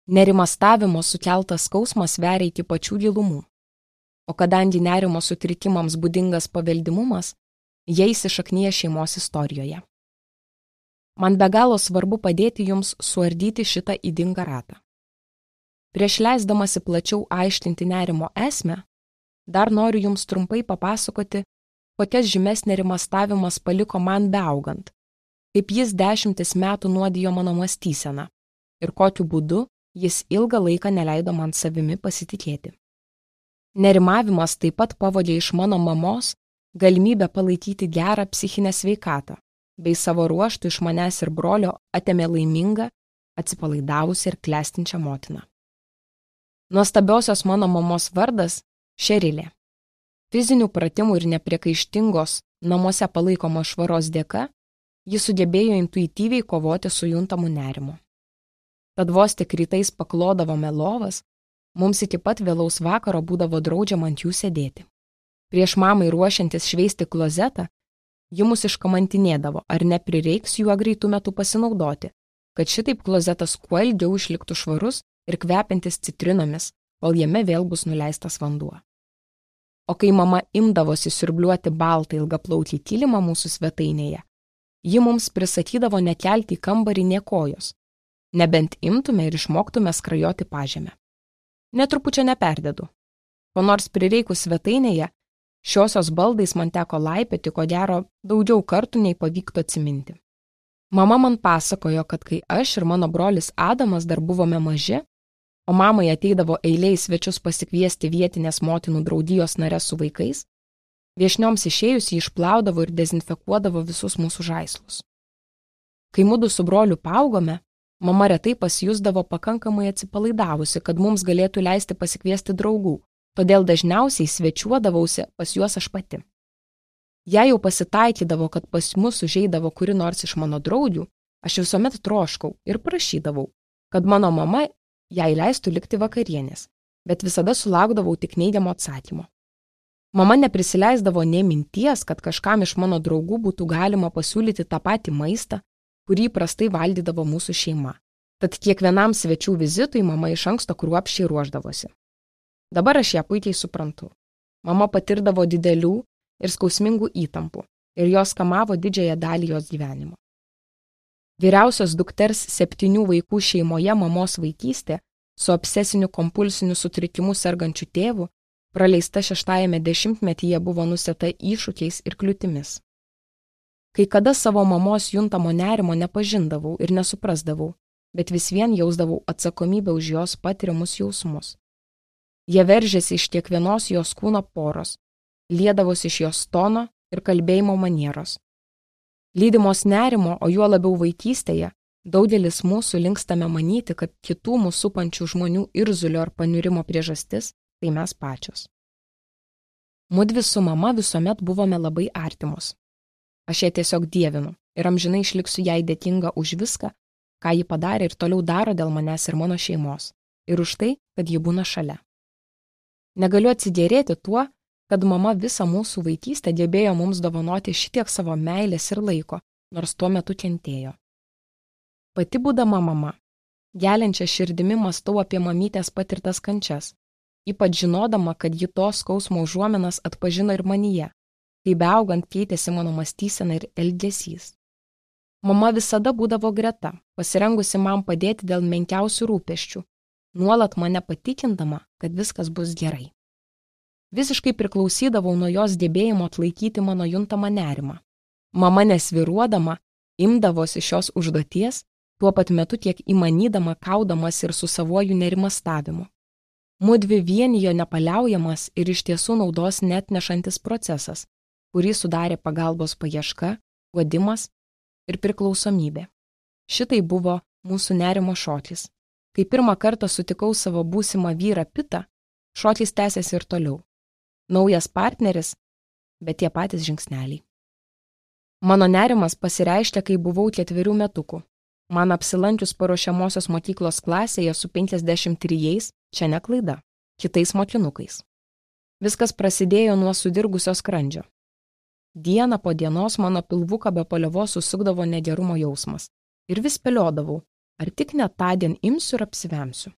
Nerimastavimo sukeltas skausmas veria iki pačių gilumų. O kadangi nerimo sutrikimams būdingas paveldimumas, jie įsišaknyja šeimos istorijoje. Man be galo svarbu padėti jums suardyti šitą ydingą ratą. Prieš leisdamasi plačiau aiškinti nerimo esmę, dar noriu jums trumpai papasakoti, kokias žymes nerimastavimas paliko man beaugant, kaip jis 10 metų nuodijo mano mąstyseną ir kokiu būdu jis ilgą laiką neleido man savimi pasitikėti. Nerimavimas taip pat pavogė iš mano mamos galimybę palaikyti gerą psichinę sveikatą, bei savo ruožtų iš manęs ir brolio atėmė laimingą, atsipalaidavusią ir klestinčią motiną. Nuostabiosios mano mamos vardas Šerilė. Fizinių pratimų ir nepriekaištingos namuose palaikomos švaros dėka, ji sugebėjo intuityviai kovoti su juntamu nerimu. Tad vos tik rytais paklodavome lovas, mums iki pat vėlaus vakaro būdavo draudžiama ant jų sėdėti. Prieš mamai ruošiantis šveisti klozetą, ji mus iškamantinėdavo, ar neprireiks juo greitų metų pasinaudoti, kad šitaip klozetas kuo ilgiau išliktų švarus ir kvepiantis citrinomis, kol jame vėl bus nuleistas vanduo. O kai mama imdavosi siurbliuoti baltą ilgaplautį kilimą mūsų svetainėje, ji mums prisakydavo nekelti į kambarį nė kojos, nebent imtume ir išmoktume skrajoti pažemę. Netrupučia neperdedu. Ko nors prireikus svetainėje, šiosios baldais man teko laipioti, ko gero, daugiau kartų nei pavyktų atsiminti. Mama man pasakojo, kad kai aš ir mano brolis Adamas dar buvome maži, o mamai ateidavo eilė į svečius pasikviesti vietinės motinų draugijos nares su vaikais, viešnioms išėjus jį išplaudavo ir dezinfekuodavo visus mūsų žaislus. Kai mudu su broliu paaugome, mama retai pasijusdavo pakankamai atsipalaidavusi, kad mums galėtų leisti pasikviesti draugų, todėl dažniausiai svečiuodavausi pas juos aš pati. Jei jau pasitaikydavo, kad pas mus užeidavo kuri nors iš mano draugių, aš visuomet troškau ir prašydavau, kad mano mama jai leistų likti vakarienės, bet visada sulaukdavau tik neigiamo atsakymo. Mama neprisileisdavo nė minties, kad kažkam iš mano draugų būtų galima pasiūlyti tą patį maistą, kurį prastai valdydavo mūsų šeima. Tad kiekvienam svečių vizitui mama iš anksto kruopščiai ruošdavosi. Dabar aš ją puikiai suprantu. Mama patirdavo didelių ir skausmingų įtampų ir jos kamavo didžiąją dalį jos gyvenimo. Vyriausios dukters 7 vaikų šeimoje mamos vaikystė su obsesiniu kompulsiniu sutrikimu sergančiu tėvu praleista 6-ame dešimtmetyje buvo nusėta iššūkiais ir kliūtimis. Kai kada savo mamos juntamo nerimo nepažindavau ir nesuprasdavau, bet vis vien jausdavau atsakomybę už jos patiriamus jausmus. Jie veržėsi iš kiekvienos jos kūno poros, liedavosi iš jos tono ir kalbėjimo manieros. Lydimos nerimo, o juo labiau vaikystėje, daugelis mūsų linkstame manyti, kad kitų mūsų supančių žmonių irzulio ar paniurimo priežastis tai mes pačios. Mudvi su mama visuomet buvome labai artimos. Aš ją tiesiog dievinu ir amžinai išliksiu jai dėkinga už viską, ką ji padarė ir toliau daro dėl manęs ir mano šeimos, ir už tai, kad ji būna šalia. Negaliu atsigėrėti tuo, kad mama visą mūsų vaikystę gebėjo mums dovanoti šitiek savo meilės ir laiko, nors tuo metu kentėjo. Pati būdama mama, geliančia širdimi mąstau apie mamytės patirtas kančias, ypač žinodama, kad ji tos skausmo užuominas atpažino ir manyje, kai beaugant keitėsi mano mąstysena ir elgesys. Mama visada būdavo greta, pasirengusi man padėti dėl menkiausių rūpesčių, nuolat mane patikindama, kad viskas bus gerai. Visiškai priklausydavau nuo jos gebėjimo atlaikyti mano juntamą nerimą. Mama nesviruodama, imdavosi šios užduoties, tuo pat metu tiek įmanydama kaudamas ir su savuoju nerimastavimu. Mudvi vienijo nepaliaujamas ir iš tiesų naudos neatnešantis procesas, kurį sudarė pagalbos paieška, guodimas ir priklausomybė. Šitai buvo mūsų nerimo šokis. Kai pirmą kartą sutikau savo būsimą vyrą Pitą, šokis tęsėsi ir toliau. Naujas partneris, bet tie patys žingsneliai. Mano nerimas pasireiškė, kai buvau 4 metukų. Man apsilankius paruošiamosios mokyklos klasėje su 53, čia ne klaida, kitais mokinukais. Viskas prasidėjo nuo sudirgusio skrandžio. Dieną po dienos mano pilvuką be paliovos susukdavo negerumo jausmas. Ir vis spėliodavau, ar tik net tądien imsiu ir apsivemsiu.